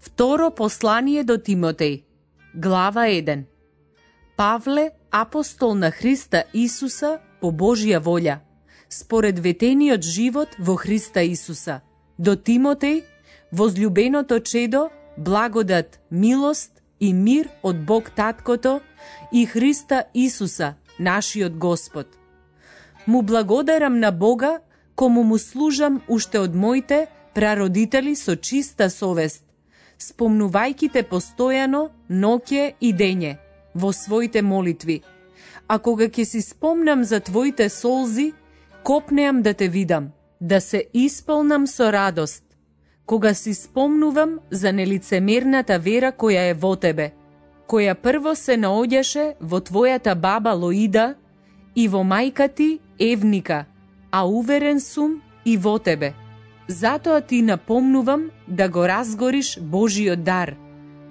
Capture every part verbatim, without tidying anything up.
Второ послание до Тимотеј, глава еден. Павле, апостол на Христа Исуса по Божја волја, според ветениот живот во Христа Исуса. До Тимотеј, возлюбеното чедо, благодат, милост и мир од Бог Таткото и Христа Исуса, нашиот Господ. Му благодарам на Бога, кому му служам уште од моите прародители со чиста совест, спомнувајќи те постојано, ноќе и дење, во своите молитви. А кога ќе си спомнам за твоите солзи, копнеам да те видам, да се исполнам со радост, кога си спомнувам за нелицемерната вера која е во тебе, која прво се наоѓаше во твојата баба Лоида и во мајка ти Евника, а уверен сум и во тебе. Затоа ти напомнувам да го разгориш Божиот дар,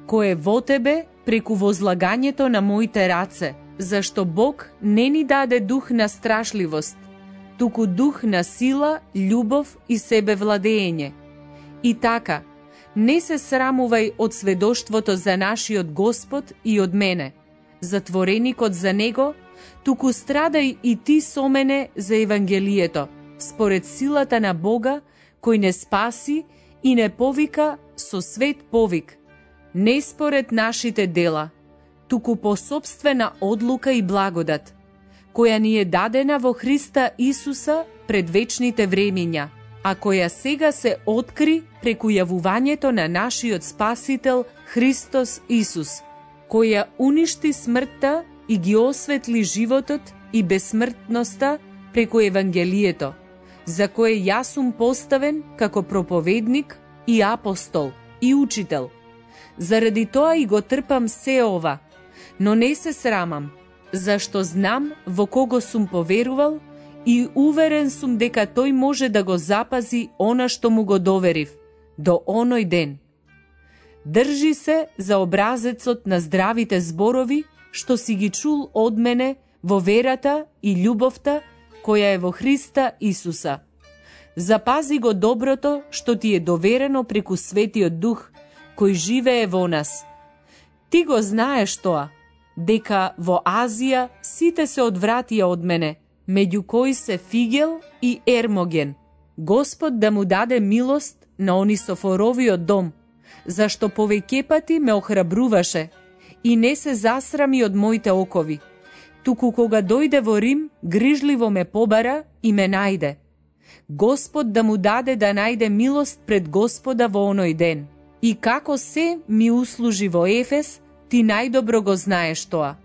кој е во тебе преку возлагањето на моите раце, зашто Бог не ни даде дух на страшливост, туку дух на сила, љубов и себевладење. И така, не се срамувај од сведоштвото за нашиот Господ и од мене, затвореникот за Него, туку страдај и ти со мене за Евангелието, според силата на Бога, кој не спаси и не повика со свет повик, не според нашите дела, туку по собствена одлука и благодат, која ни е дадена во Христа Исуса пред вечните времиња, а која сега се откри преку јавувањето на нашиот Спасител Христос Исус, која уништи смртта и ги осветли животот и безсмртноста преку Евангелието, за кое јас сум поставен како проповедник и апостол и учител. Заради тоа и го трпам се ова, но не се срамам, зашто знам во кого сум поверувал и уверен сум дека тој може да го запази она што му го доверив до оној ден. Држи се за образецот на здравите зборови што си ги чул од мене во верата и љубовта која е во Христа Исуса. Запази го доброто што ти е доверено преку Светиот Дух, кој живее во нас. Ти го знаеш тоа, дека во Азија сите се одвратија од мене, меѓу кои се Фигел и Ермоген. Господ да му даде милост на Онисофоровиот дом, зашто повеќе пати ме охрабруваше и не се засрами од моите окови, туку кога дојде во Рим, грижливо ме побара и ме најде. Господ да му даде да најде милост пред Господа во оној ден. И како се ми услужи во Ефес, ти најдобро го знаеш тоа.